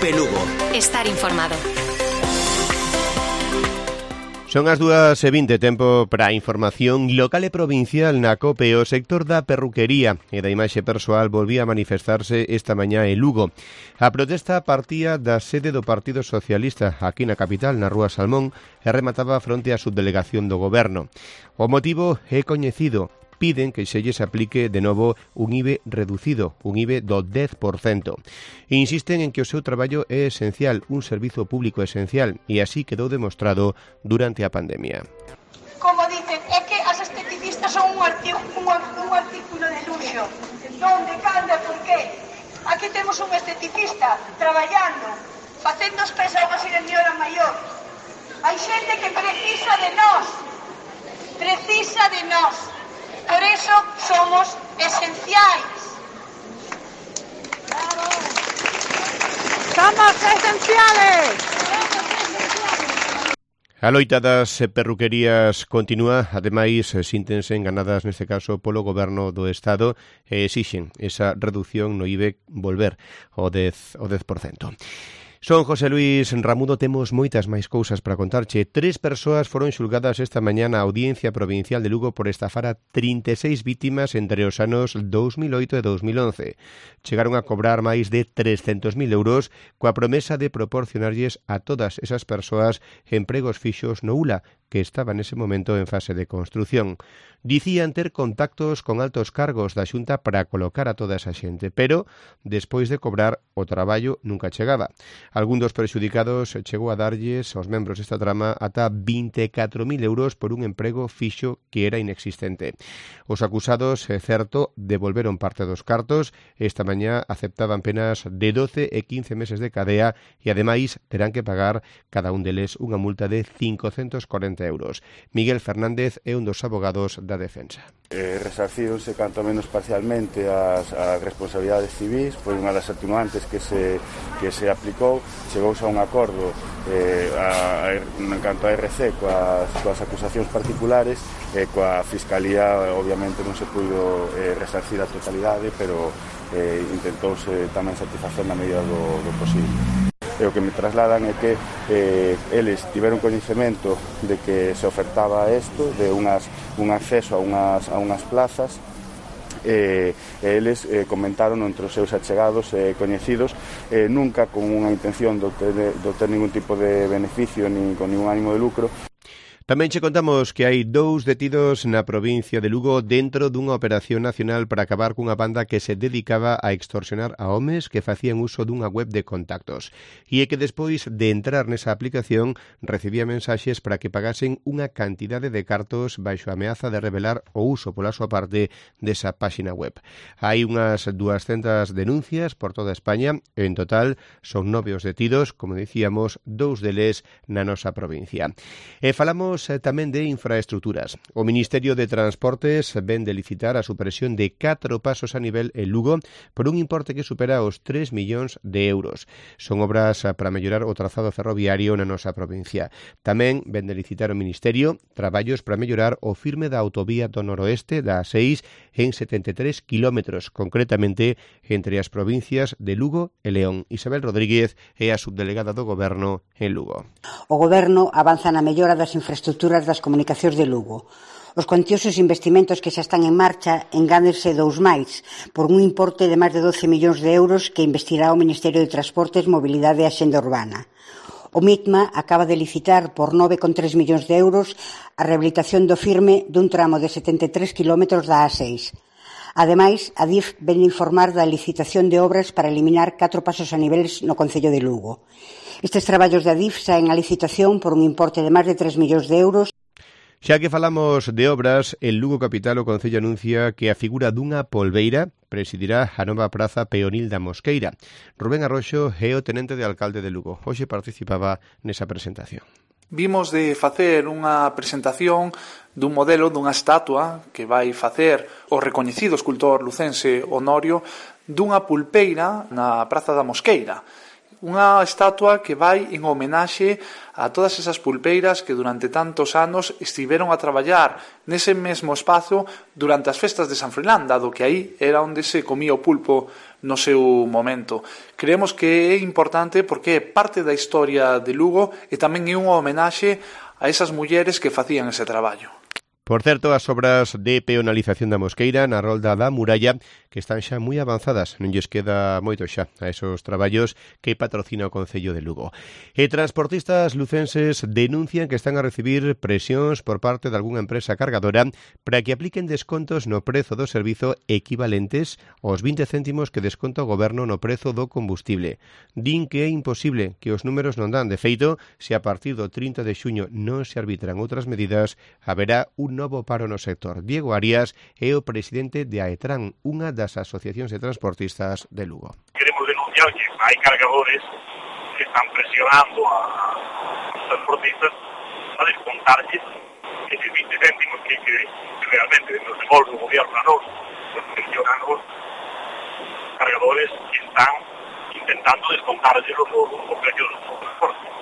COPE Lugo. Estar informado. Son as 2:20, tempo para a información local e provincial na COPE. O sector da perruquería e da imaxe persoal volvía a manifestarse esta mañá en Lugo. A protesta partía da sede do Partido Socialista aquí na capital, na Rúa Salmón, e remataba fronte á subdelegación do Goberno. O motivo é coñecido. Piden que se lles aplique de novo un IBE reducido, un IBE do 10%. Insisten en que o seu traballo é esencial, un servizo público esencial, e así quedou demostrado durante a pandemia. Como dicen, é que as esteticistas son un artículo de luxo. Donde, canda, por qué? Aquí temos un esteticista traballando, facendo os pés a unha señora maior. Hai xente que precisa de nós. Precisa de nós. Por eso somos esenciais. ¡Bravo! ¡Somos esenciales! A loita das perruquerías continúa, ademais síntense enganadas neste caso polo Goberno do Estado e exixen esa reducción no IBE volver ao 10%. Son José Luis Ramudo, temos moitas máis cousas para contarche. 3 persoas foron xulgadas esta mañá na Audiencia Provincial de Lugo por estafar a 36 vítimas entre os anos 2008 e 2011. Chegaron a cobrar máis de 300.000 euros coa promesa de proporcionarlles a todas esas persoas empregos fixos no ULA, que estaba nese momento en fase de construción. Dicían ter contactos con altos cargos da Xunta para colocar a toda esa xente, pero despois de cobrar o traballo nunca chegaba. Algún dos prexudicados chegou a darlles aos membros desta trama ata 24.000 euros por un emprego fixo que era inexistente. Os acusados, é certo, devolveron parte dos cartos. Esta mañá aceptaban penas de 12 e 15 meses de cadea e ademais terán que pagar cada un deles unha multa de 540 euros. Miguel Fernández é un dos abogados da defensa. Resarcíronse canto menos parcialmente as responsabilidades civis, foi unha das atenuantes que se aplicou. Chegouse a un acordo en canto a RC coas acusacións particulares e coa Fiscalía obviamente non se puido resarcir a totalidade, pero intentouse tamén satisfacer na medida do posible. E o que me trasladan é que eles tiveron coñecemento de que se ofertaba isto, de un acceso a unhas plazas, e eles comentaron entre os seus achegados e coñecidos, nunca con unha intención de obter ningún tipo de beneficio nin con ningún ánimo de lucro. Tamén che contamos que hai 2 detidos na provincia de Lugo dentro dunha operación nacional para acabar cunha banda que se dedicaba a extorsionar a homes que facían uso dunha web de contactos e que despois de entrar nesa aplicación recibía mensaxes para que pagasen unha cantidade de cartos baixo a ameaza de revelar o uso pola súa parte desa páxina web. Hai unhas 200 denuncias por toda España e en total son 9 os detidos, como dicíamos, 2 deles na nosa provincia. E falamos tamén de infraestructuras. O Ministerio de Transportes ven de licitar a supresión de 4 pasos a nivel en Lugo por un importe que supera os 3 millóns de euros. Son obras para mellorar o trazado ferroviario na nosa provincia. Tamén ven de licitar o Ministerio traballos para mellorar o firme da autovía do noroeste da A6 en 73 kilómetros, concretamente entre as provincias de Lugo e León. Isabel Rodríguez é a subdelegada do Goberno en Lugo. O Goberno avanza na mellora das infraestructuras das comunicacións de Lugo. Os cuantiosos investimentos que xa están en marcha engándense 2 máis, por un importe de máis de 12 millóns de euros que investirá o Ministerio de Transportes, Mobilidade e Axenda Urbana. O MITMA acaba de licitar por 9,3 millóns de euros a rehabilitación do firme dun tramo de 73 kilómetros da A6. Ademais, a DIF ven informar da licitación de obras para eliminar 4 pasos a niveles no concello de Lugo. Estes traballos da DIF saen a licitación por un importe de máis de 3 millóns de euros. Xa que falamos de obras, en Lugo capital o Concello anuncia que a figura dunha polbeira presidirá a nova praza peonil da Mosqueira. Rubén Arroxo é o tenente de alcalde de Lugo. Hoxe participaba nesa presentación. Vimos de facer unha presentación dun modelo dunha estatua que vai facer o recoñecido escultor lucense Honorio dunha pulpeira na Praza da Mosqueira. unha estatua que vai en homenaxe a todas esas pulpeiras que durante tantos anos estiveron a traballar nese mesmo espazo durante as festas de San Froilán, dado que aí era onde se comía o pulpo no seu momento. Creemos que é importante porque é parte da historia de Lugo e tamén é unha homenaxe a esas mulleres que facían ese traballo. Por certo, as obras de peonalización da Mosqueira na rolda da muralla que están xa moi avanzadas, non lles queda moito xa a esos traballos que patrocina o Concello de Lugo. E transportistas lucenses denuncian que están a recibir presións por parte de algunha empresa cargadora para que apliquen descontos no prezo do servizo equivalentes aos 20 céntimos que desconta o Goberno no prezo do combustible. Din que é imposible, que os números non dan. De feito, se a partir do 30 de xuño non se arbitran outras medidas, haberá un novo paro no sector. Diego Arias é o presidente de AETRAN, unha das asociacións de transportistas de Lugo. Queremos denunciar que hai cargadores que están presionando a transportistas a descontarles esos 20 céntimos que realmente nos devolve o gobierno a nos, los pensionados, cargadores que están intentando descontarles los precios de los transportes.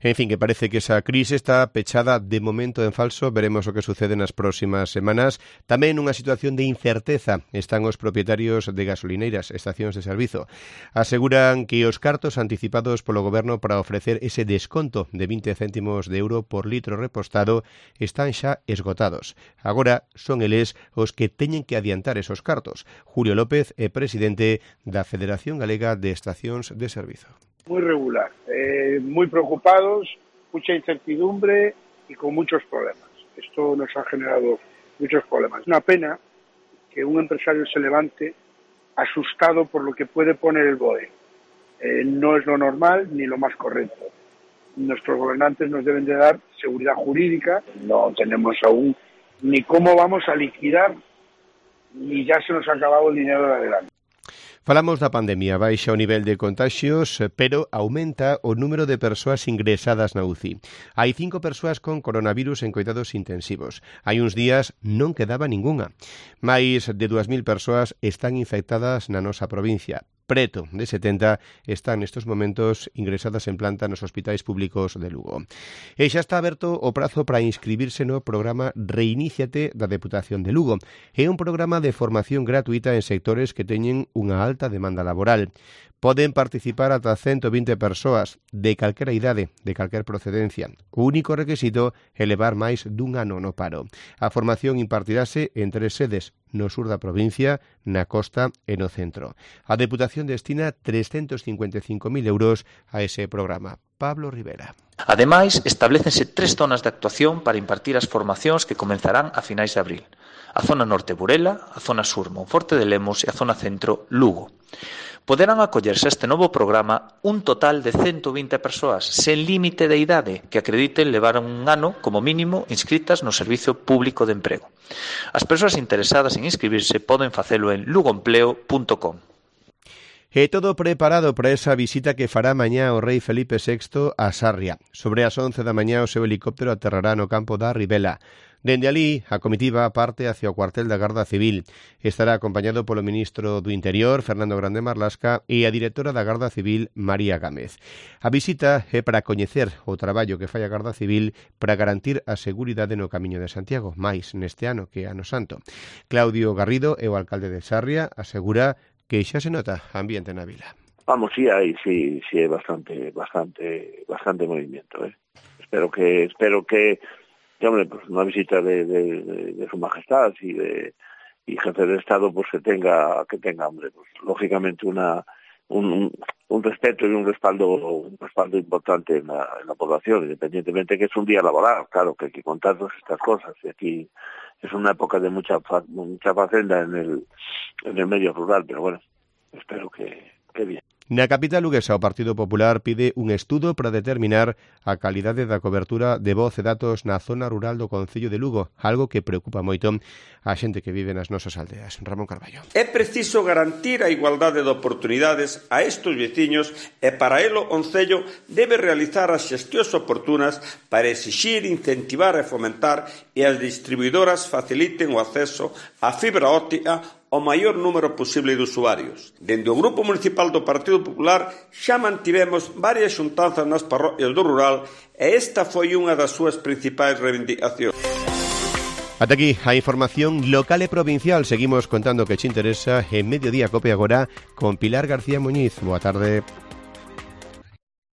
En fin, que parece que esa crise está pechada de momento en falso. Veremos o que sucede nas próximas semanas. Tamén nunha situación de incerteza están os propietarios de gasolineiras, estacións de servizo. Aseguran que os cartos anticipados polo Goberno para ofrecer ese desconto de 20 céntimos de euro por litro repostado están xa esgotados. Agora son eles os que teñen que adiantar esos cartos. Julio López é presidente da Federación Galega de Estacións de Servizo. Muy regular, muy preocupados, mucha incertidumbre y con muchos problemas. Esto nos ha generado muchos problemas. Es una pena que un empresario se levante asustado por lo que puede poner el BOE. No es lo normal ni lo más correcto. Nuestros gobernantes nos deben de dar seguridad jurídica. No tenemos aún ni cómo vamos a liquidar, ni ya se nos ha acabado el dinero de adelante. Falamos da pandemia, baixa o nivel de contaxios, pero aumenta o número de persoas ingresadas na UCI. Hai 5 persoas con coronavirus en coidados intensivos. Hai uns días non quedaba ningunha. Mais de 2.000 persoas están infectadas na nosa provincia. Preto de 70 están nestes momentos ingresadas en planta nos hospitais públicos de Lugo. E xa está aberto o prazo para inscribirse no programa Reiníciate da Deputación de Lugo. É un programa de formación gratuita en sectores que teñen unha alta demanda laboral. Poden participar ata 120 persoas de calquera idade, de calquer procedencia. O único requisito é levar máis dun ano no paro. A formación impartirase en 3 sedes, no sur da provincia, na costa e no centro. A Deputación destina 355.000 euros a ese programa. Pablo Rivera. Ademais, establécense 3 zonas de actuación para impartir as formacións que comenzarán a finais de abril. A zona norte Burela, a zona sur Monforte de Lemos e a zona centro Lugo. Poderán acollerse a este novo programa un total de 120 persoas sen límite de idade que acrediten levar un ano como mínimo inscritas no Servizo Público de Emprego. As persoas interesadas en inscribirse poden facelo en lugoempleo.com. E todo preparado para esa visita que fará mañá o rei Felipe VI a Sarria. Sobre as 11 da mañá o seu helicóptero aterrará no campo da Ribela. Dende alí, a comitiva parte hacia o cuartel da Garda Civil. Estará acompañado polo ministro do Interior, Fernando Grande Marlasca, e a directora da Garda Civil, María Gámez. A visita é para coñecer o traballo que fai a Garda Civil para garantir a seguridade no Camiño de Santiago, máis neste ano que ano santo. Claudio Garrido é o alcalde de Sarria, asegura que xa se nota ambiente na vila. Vamos, sí hai bastante movimiento, Espero que hombre, pues una visita de su majestad y jefe de Estado, pues que tenga, hombre, pues lógicamente un respeto y un respaldo importante en la población, independientemente que es un día laboral, claro, que hay que contar todas estas cosas, y aquí es una época de mucha facenda en el medio rural, pero bueno, espero que bien. Na capital luguesa, o Partido Popular pide un estudo para determinar a calidade da cobertura de voz e datos na zona rural do Concello de Lugo, algo que preocupa moito a xente que vive nas nosas aldeas. Ramón Carballo. É preciso garantir a igualdade de oportunidades a estes veciños e para elo o Concello debe realizar as xestións oportunas para exixir, incentivar e fomentar e as distribuidoras faciliten o acceso á fibra óptica o maior número posible de usuarios. Dende o Grupo Municipal do Partido Popular xa mantivemos varias xuntanzas nas parroquias do rural e esta foi unha das súas principais reivindicacións. Ata aquí a información local e provincial. Seguimos contando que te interesa en Mediodía Cope agora con Pilar García Muñiz. Boa tarde.